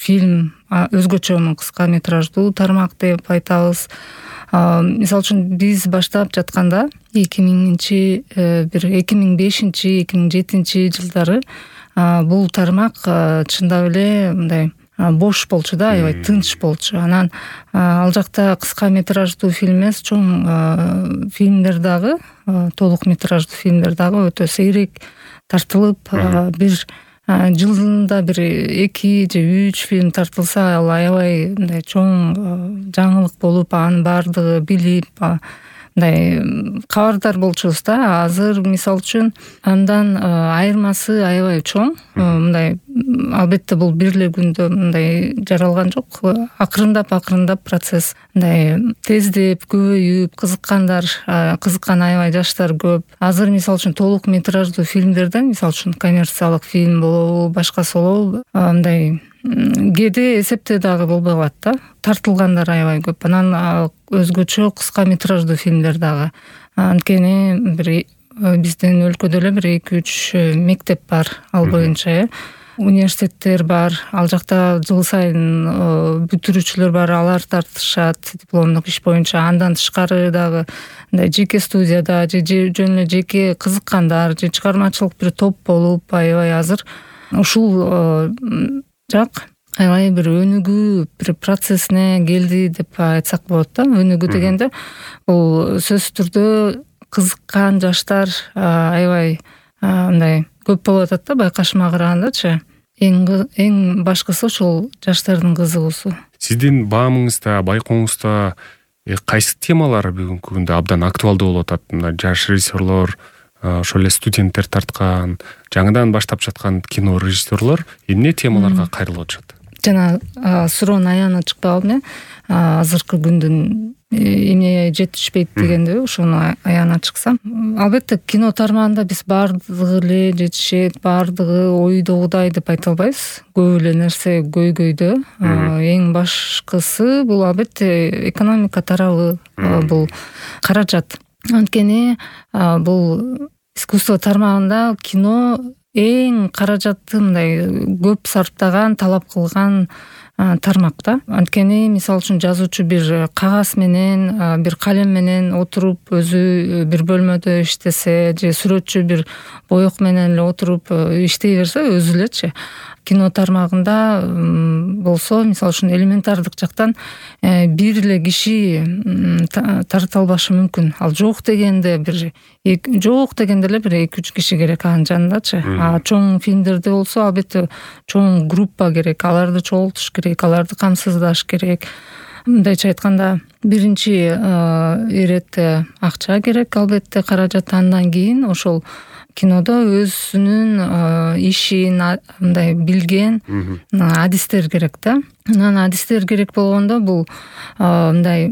фильм өзгөчө кыска метраждуу тармак деп айтабыз. Мисалы үчүн биз баштап жатканда 2005-2007 жылдары бул тармак чындап эле мындай бош болчу да, аябай тынч болчу. Анан ал жакта кыска метраждуу фильм эмес, чоң фильмдер дагы, толук метраждуу фильмдер дагы өтө сейрек тартылып, бир жылында бир 2 же 3 фильм тартылса, ал аябай мындай чоң жаңылык болуп, анын баардыгы билип, мындай кабардар болчубуз да. Азыр мисалы үчүн андан айырмасы аябай чоң. Мындай албетте бул бир эле күндө мындай жаралган жок. Акырындап процесс мындай тездеп, көбөйүп, кызыккан аябай жаштар көп. Азыр мисалы үчүн толук метраждуу фильмдерден, мисалы үчүн коммерциялык фильм болобу, башкасы болобу, мындай кээде эсепте дагы болбой калат да. Тартылгандар аябай көп. Анан өзгөчө кыска метраждуу фильмдер дагы. Анткени биздин өлкөдө эле бир 2-3 мектеп бар ал боюнча, университеттер бар. Ал жакта жыл сайын бүтүрүүчүлөр бар, алар тартышат дипломдук иш боюнча. Андан тышкары дагы мындай жеке студияда же жөн эле жеке кызыккандар же чыгармачылык бир топ болуп, аябай азыр ушул жак аябай бир өнүгүү бир процессине келди деп айтсак болот да. Өнүгүү дегенде бул сөзсүз түрдө кызыккан жаштар аябай мындай көп болуп атат да, байкашыма карагандачы. Эң башкысы ошол жаштардын кызыгуусу. Сиздин баамыңызда, байкооңузда кайсы темалар бүгүнкү күндө абдан актуалдуу болуп атат? Жаш режиссерлор, ошол эле студенттер тарткан, жаңыдан баштап жаткан кино режиссерлор эмне темаларга кайрылып атышат? Жана суроонун аягына чыкпай калдым. Азыркы күндүн эмне жетишпейт дегенде ошону аягына чыксам. Албетте кино тармагында биз баардыгы эле жетишет, баардыгы ойдогудай деп айта албайбыз. Көп эле нерсе көйгөйдө. Эң башкысы бул албетте экономика тарабы, бул каражат. Анткени бул искусство тармагында кино эң каражатты мындай көп сарптаган, талап кылган тармак да. Анткени мисалы үчүн жазуучу бир кагаз менен, бир калем менен отуруп өзү бир бөлмөдө иштесе, же сүрөтчү бир боек менен эле отуруп иштей берсе өзү элечи. Кино тармагында болсо, мисалы үчүн элементардык жактан бир эле киши тарта албашы мүмкүн. Ал жок дегенде эле бир 2-3 киши керек анын жанындачы. Чоң фильмдерде болсо албетте чоң группа керек, аларды чогултуш керек, аларды камсыздаш керек. Мындайча айтканда, биринчи иретте акча керек, албетте каражат. Андан кийин ошол кинодо өзүнүн ишин мындай билген адистер керек да. Анан адистер керек болгондо бул мындай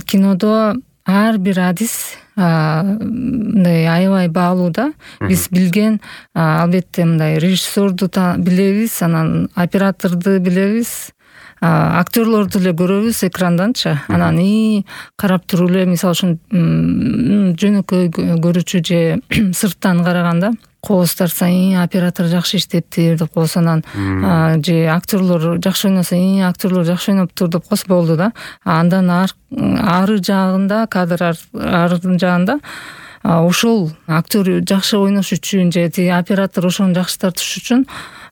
кинодо ар бир адис мындай аябай баалуу да. Биз билген албетте мындай режиссерду билебиз, анан операторду билебиз, актерлорду эле көрөбүз экранданчы. Анан карап туруп эле мисалы үчүн жөнөкөй көрүүчү же сырттан караганда кооз тартса оператор жакшы иштептир деп коебуз. Анан же актерлор жакшы ойносо актерлор жакшы ойноптур деп коебуз, болду да. Андан ары жагында, кадр ардын жагында ошол актер жакшы ойнош үчүн же оператор ошону жакшы тартыш үчүн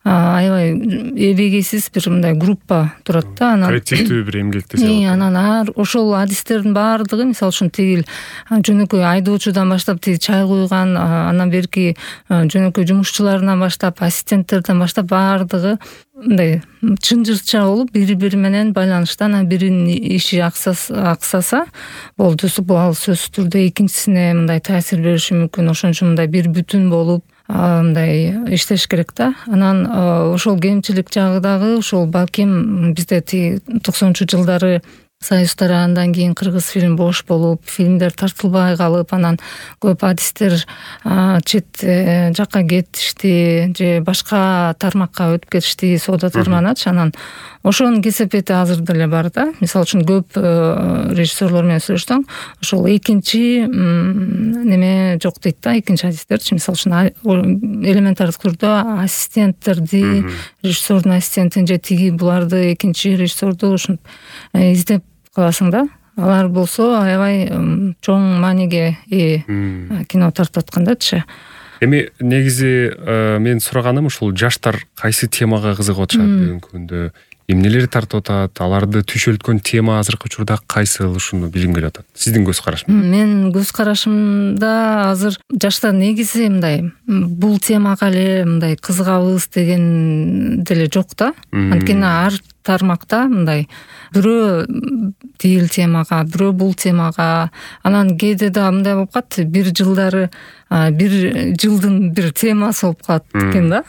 аябай эбегейсиз бир мындай группа турат да. Анан коллективдүү бир эмгекте жатат. Анан ошол адистердин баардыгы, мисалы үчүн тигил жөнөкөй айдоочудан баштап чай куйган, анан берки жөнөкөй жумушчуларынан баштап, ассистенттерден баштап баардыгы мындай чынжырча болуп, бири-бири менен байланышта. Анан биринин иши аксаса болду, бул сөзсүз түрдө экинчисине мындай таасир бериши мүмкүн. Ошон үчүн мындай бир бүтүн болуп мындай иштеш керек да. Анан ошол кемчилик жагы дагы ошол балким бизде 90-жылдары союздар андан кийин кыргыз фильм бош болуп, фильмдер тартылбай калып, анан көп адистер чет жакка кетишти же башка тармакка өтүп кетишти, соода тармагыначы. Анан ошонун кесепети азыр деле бар да. Мисалы үчүн көп режиссерлор менен сүйлөшсөң, ошол экинчи неме жок дейт да, экинчи адистерчи. Мисалы үчүн элементардык түрдө ассистенттерди, режиссердун ассистентин же тиги буларды экинчи режиссерду ушинтип издеп каласың да. Алар болсо аябай чоң мааниге ээ кино тартып аткандачы. Эми негизи мен сураганым ушул жаштар кайсы темага кызыгып атышат бүгүнкү күндө, эмнелер тартып атат, аларды түйшөлткөн тема азыркы учурда кайсыл, ушуну билгим келип атат. Сиздин көз карашыңыз? Мен көз карашымда азыр жаштар негизи мындай бул темага эле мындай кызыгабыз деген деле жок да. Анткени ар тармакта мындай бирөө тил темага, бирөө бул темага, анан кээде да мындай болуп калат, бир жылдары бир жылдын бир темасы болуп калат экен да.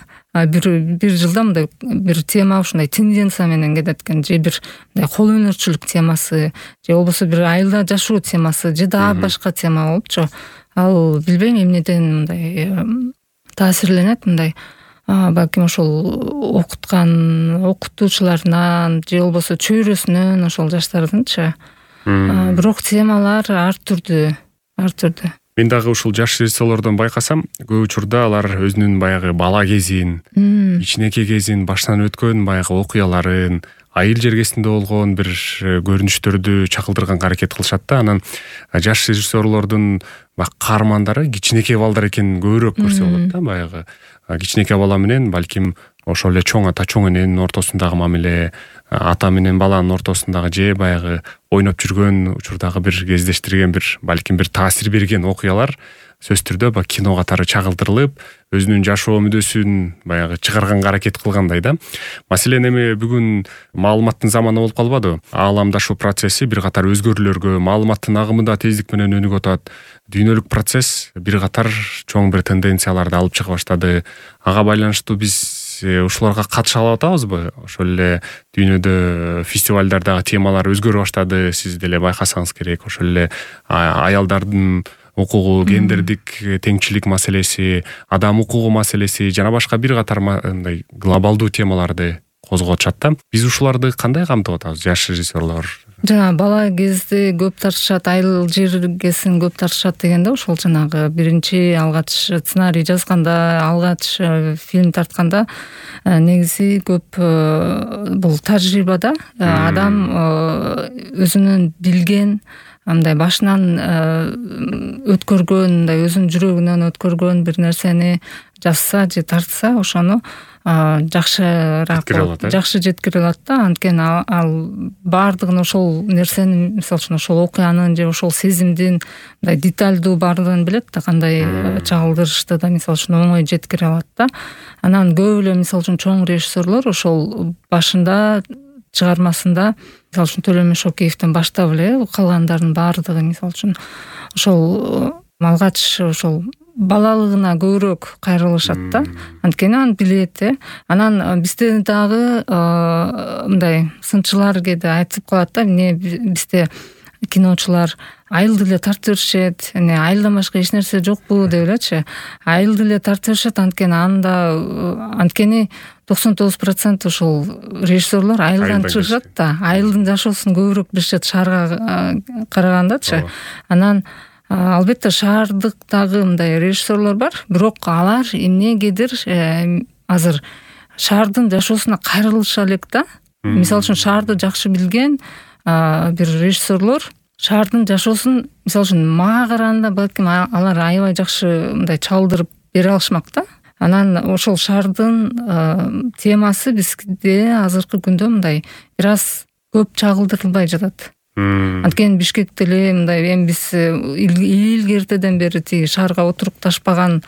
Бир жылда мындай бир тема ушундай тенденция менен кетет экен, же бир мындай кол өнөрчүлүк темасы, же болбосо бир айылда жашоо темасы, же дагы башка тема болупчу. Ал билбейм эмнеден мындай таасирленет, мындай балким ошол окутуучуларынан же болбосо чөйрөсүнөн ошол жаштардынчы. Бирок темалар ар түрдүү. Мен дагы ушул жаш режиссерлордон байкасам, көп учурда алар өзүнүн баягы бала кезин, кичинекей кезин, баштан өткөн баягы окуяларын, айыл жергесинде болгон бир көрүнүштөрдү чакылдырганга аракет кылышат да. Анан жаш режиссерлордун каармандары кичинекей балдар экенин көбүрөөк көрсө болот да. Баягы кичинекей бала менен балким ошол эле чоң ата чоң эненин ортосундагы мамиле, ата менен баланын ортосундагы же баягы ойноп жүргөн учурдагы бир кездештирген бир балким бир таасир берген окуялар сөзсүз түрдө баягы кино катары чагылдырылып, өзүнүн жашоо мүдөсүн баягы чыгарганга аракет кылгандай да. Маселен эми бүгүн маалыматтын заманы болуп калбадыбы? Ааламдашуу процесси бир катар өзгөрүүлөргө, маалыматтын агымы да тездик менен өнүгүп атат. Дүйнөлүк процесс бир катар чоң бир тенденцияларды алып чыга баштады. Ага байланыштуу биз ушуларга катыша алып атабызбы? Ошол эле дүйнөдө фестивалдардагы темалар өзгөрө баштады. Сиз деле байкасаңыз керек. Ошол эле аялдардын укугу, гендердик теңчилик маселеси, адам укугу маселеси жана башка бир катар мындай глобалдуу темаларды козгоп атышат да. Биз ушуларды кандай камтып атабыз, жаш режиссерлор? Жана бала кезде көп тартышат, айыл жергесин көп тартышат дегенде, ошол жанагы биринчи алгач сценарий жазганда, алгач фильм тартканда негизи көп бул тажрыйбада адам өзүнүн билген, мындай башынан өткөргөн, мындай өзүнүн жүрөгүнөн өткөргөн бир нерсени жазса же тартса, ошону жакшыраак жакшы жеткире алат да. Анткени ал баардыгын, ошол нерсени, мисалы үчүн ошол окуянын же ошол сезимдин мындай деталдуу баардыгын билет да, кандай чагылдырышты да мисалы үчүн оңой жеткире алат да. Анан көп эле мисалы үчүн чоң режиссерлор ошол башында чыгармасында, мисалы үчүн Төлөмүш Шокеевден баштап эле калгандардын баардыгы мисалы үчүн ошол алгач ошол балалыгына көбүрөөк кайрылышат да. Анткени аны билет. Анан бизде дагы мындай сынчылар кээде айтып калат да, эмне бизде киночулар айылды эле тартып беришет, айылдан башка эч нерсе жокпу деп элечи. Айылды эле тартып беришет, анткени 99% ошол режиссерлор айылдан чыгышат да. Айылдын жашоосун көбүрөөк билишет шаарга карагандачы. Анан албетте шаардыктагы мындай режиссерлор бар, бирок алар эмнегедир азыр шаардын жашоосуна кайрылыша элек да. Мисалы үчүн шаарды жакшы билген бир режиссерлор шаардын жашоосун мисалы үчүн мага караганда балким алар аябай жакшы мындай чалдырып бере алышмак да. Анан ошол шаардын темасы бизде азыркы күндө мындай бир аз көп чагылдырылбай жатат. Анткени Бишкекте эле мындай эми биз илгертеден бери тиги шаарга отурукташпаган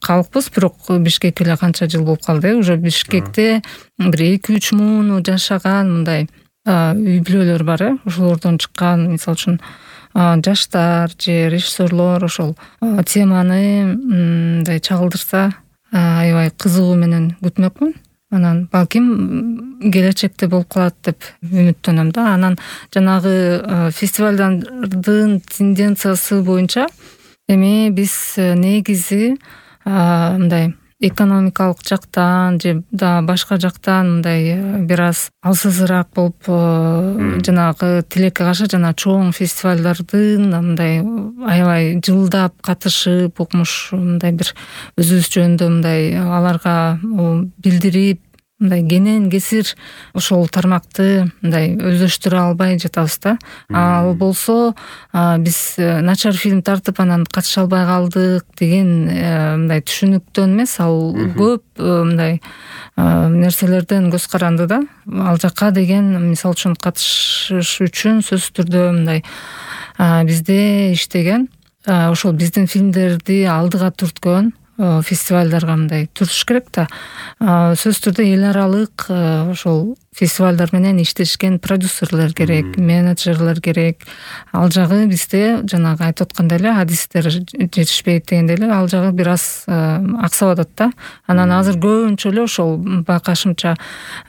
калкпыз, бирок Бишкек эле канча жыл болуп калды. Уже Бишкекте бир 2-3 муну жашаган мындай үй бүлөлөр бар. Ошолордон чыккан мисалы үчүн жаштар же режиссерлор ошол теманы мындай чагылдырса аябай кызыгуу менен күтмөкмүн. анан балким келечекте болуп калат деп үмүттөнөм да. Анан жанагы фестивалдардын тенденциясы боюнча эми биз негизи мындай экономикалык жактан же да башка жактан мындай бир аз алсызыраак болуп жанагы тилекке каршы жана чоң фестивалдардын мындай аябай жылдап катышып укмуш мындай бир өзүбүз жөнүндө мындай аларга билдирип мындай кенен кесир ошол тармакты мындай өздөштүрө албай жатабыз да. Ал болсо биз начар фильм тартып анан катыша албай калдык деген мындай түшүнүктөн эмес, ал көп мындай нерселерден көз каранды да. Ал жакка деген мисалы үчүн катышыш үчүн сөзсүз түрдө мындай бизде иштеген ошол биздин фильмдерди алдыга түрткөн фестивалдарга мындай туруш керек да. Сөзсүз түрдө эл аралык ошол фестивалдар менен иштешкен продюсерлер керек, менеджерлер керек. Ал жагы бизде жанагы айтып аткандай эле адистер жетишпейт дегендей эле ал жагы бир аз аксап атат да. Анан азыр көбүнчө эле ошол байкашымча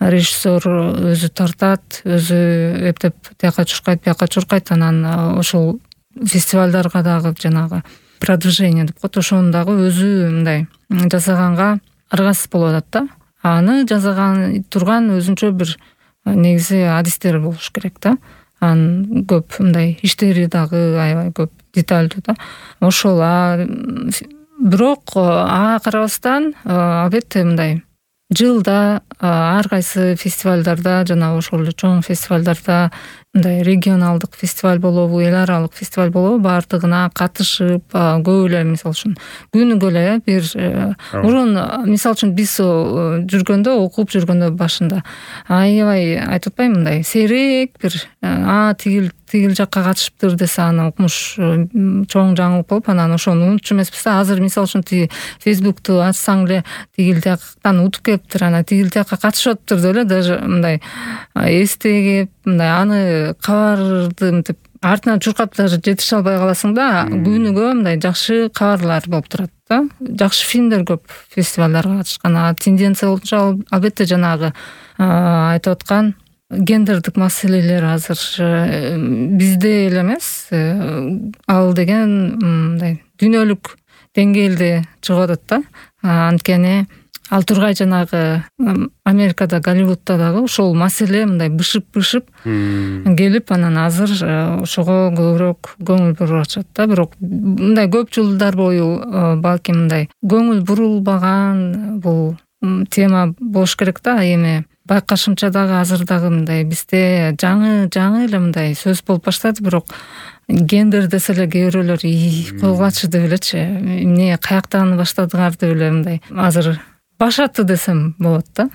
режиссер өзү тартат, өзү эптеп тияка чуркайт, бияка чуркайт, анан ошол фестивалдарга дагы жанагы продвижение деп коет, ошону дагы өзү мындай жасаганга аргасыз болуп атат да. Аны жасаган турган өзүнчө бир негизи адистер болуш керек да. Анын көп мындай иштери дагы аябай көп деталдуу да. Ошол бирок ага карабастан албетте мындай жылда ар кайсы фестивалдарда жана ошол эле чоң фестивалдарда мындай регионалдык фестиваль болобу, эл аралык фестиваль болобу, баардыгына катышып көп эле мисалы үчүн күнүгө эле бир мурун мисалы үчүн биз жүргөндө, окуп жүргөндө башында аябай айтып атпаймынбы мындай сейрек бир тигил жакка катышыптыр десе аны укмуш чоң жаңылык болуп анан ошону унутчу эмеспиз да. Азыр мисалы үчүн тиги Facebook'ту ачсаң эле тигил жактан утуп келиптир, анан тигил жакка катышып атыптыр деп эле даже мындай эстегип мындай аны кабарды мынтип артынан чуркап даже жетише албай каласың да. Күнүгө мындай жакшы кабарлар болуп турат да. Жакшы фильмдер көп фестивалдарга катышкан. Тенденция боюнча албетте жанагы айтып аткан гендердик маселелер азыр бизде эле эмес, ал деген мындай дүйнөлүк деңгээлде чыгып атат да. Анткени ал тургай жанагы Америкада, Голливудда дагы ошол маселе мындай бышып келип анан азыр ошого көбүрөөк көңүл буруп атышат да. Бирок мындай көп жылдар бою балким мындай көңүл бурулбаган бул тема болуш керек да. Эми байкашымча дагы азыр дагы мындай бизде жаңы эле мындай сөз болуп баштады, бирок гендер десе эле кээ бирөөлөр койгулачы деп элечи, эмне каяктан баштадыңар деп эле мындай азыр башаты десем болот да.